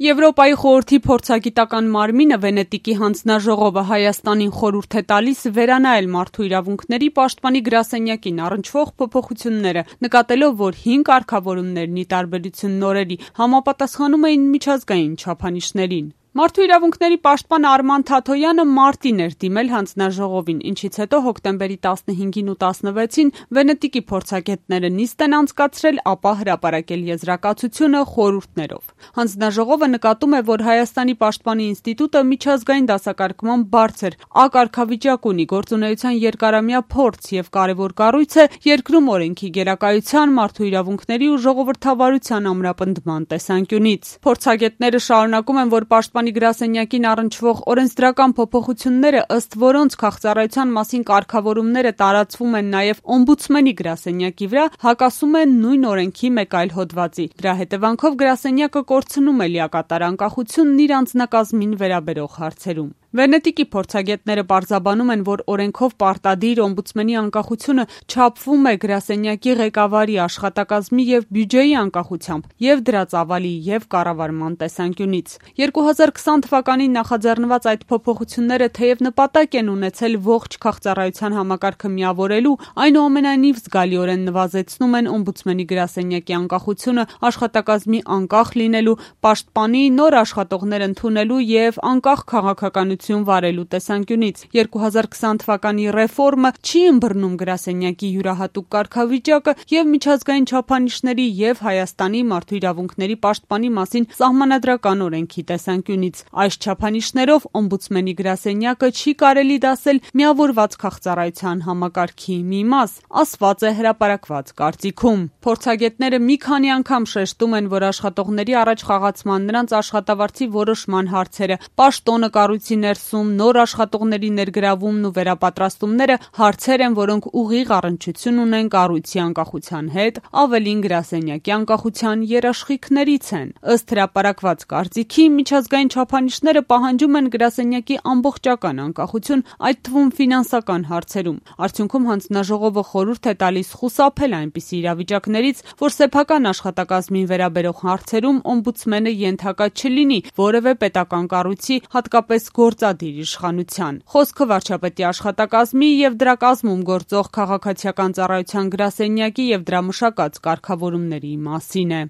Եվրոպայի խորհրդի փորձագիտական մարմինը Վենետիկի հանձնաժողովը Հայաստանին խորհուրդ է տալիս վերանայել մարդու իրավունքների պաշտպանի գրասենյակին առնչվող փոփոխությունները, նկատելով, որ 5 կարգավորումներն ի տարբերություն նորերի համապատասխանում էին միջազգային չափանիշներին։ Մարդու իրավունքների պաշտպան Արման Թաթոյանը մարտին էր դիմել հանձնաժողովին, ինչից հետո հոկտեմբերի 15-ին ու 16-ին Վենետիկի փորձագետները նիստ են անցկացրել, ապա հրապարակել եզրակացությունը խորհուրդներով։ Հանձնաժողովը նկատում է, որ Հայաստանի պաշտպանի ինստիտուտը միջազգային դասակարգման բարձր ակարգավիճակ ունի, գործունեության երկարամյա փորձ եւ կարևոր կառույց է երկրում օրենքի գերակայության, մարդու իրավունքների ու ժողովրդավարության ամրապնդման տեսանկյունից։ Փորձագետները շարունակում են, որ պաշտպանի գրասենյակին առնչվող օրենսդրական փոփոխությունները, ըստ որոնց քաղծառայության մասին կարգավորումները տարածվում են նաև օմբուդսմենի գրասենյակի վրա, հակասում են նույն օրենքի մեկ այլ հոդվածի։ Դրա հետևանքով գրասենյակը կորցնում է լիակատար անկախությունն իր անձնակազմին վերաբերող հարցերում։ Վենետիկի փորձագետները պարզաբանում են, որ օրենքով պարտադիր օմբուդսմենի անկախությունը չափվում է գրասենյակի ղեկավարի աշխատակազմի եւ բյուջեի անկախությամբ եւ դրա ծավալի եւ կառավարման տեսանկյունից։ 2020 թվականին նախաձեռնված այդ փոփոխությունները թեև նպատակ են ունեցել ողջ քաղծառայության համակարգը միավորելու, այնուամենայնիվ զգալիորեն նվազեցնում են օմբուդսմենի գրասենյակի անկախությունը աշխատակազմի անկախ լինելու, պաշտպանի նոր աշխատողներ ընդունելու եւ անկախ քաղաքականություն վարելու տեսանկյունից։ 2020 թվականի ռեֆորմը չի ըմբռնում գրասենյակի յուրահատուկ կարգավիճակը եւ միջազգային չափանիշների եւ Հայաստանի մարդու իրավունքների պաշտպանի մասին սահմանադրական օրենքի տեսանկյունից։ Այս չափանիշներով օմբուդսմենի գրասենյակը չի կարելի դասել միավորված քաղծառայության համակարգի մի մաս, ասված է հրապարակված կարծիքում։ Փորձագետները մի քանի անգամ շեշտում են, որ աշխատողների առաջ խաղացման, նրանց աշխատավարձի որոշման հարցերը, պաշտոնը կառույցի ներսում, նոր աշխատողների ներգրավումն ու վերապատրաստումները հարցեր են, որոնք ուղիղ առնչություն ունեն կառույցի անկախության հետ, ավելին գրասենյակի անկախության երաշխիքներից են։ Ըստ հրապարակված կարծիքի, միջազգային չափանիշները պահանջում են գրասենյակի ամբողջական անկախություն, այդ թվում ֆինանսական հարցերում։ Արդյունքում հանձնաժողովը խորհուրդ է տալիս խուսափել այնպիսի իրավիճակներից, որ սեփական աշխատակազմին վերաբերող հարցերում օմբուդսմենը ենթակա չլինի որևէ պետական կառույցի, հատկապես գործադիր իշխանության։ Խոսքը վարչապետի աշխատակազմի եւ դրա կազմում գործող քաղաքացիական ծառայության գրասենյակի եւ դրա մշակած կարգավորումների մասին է։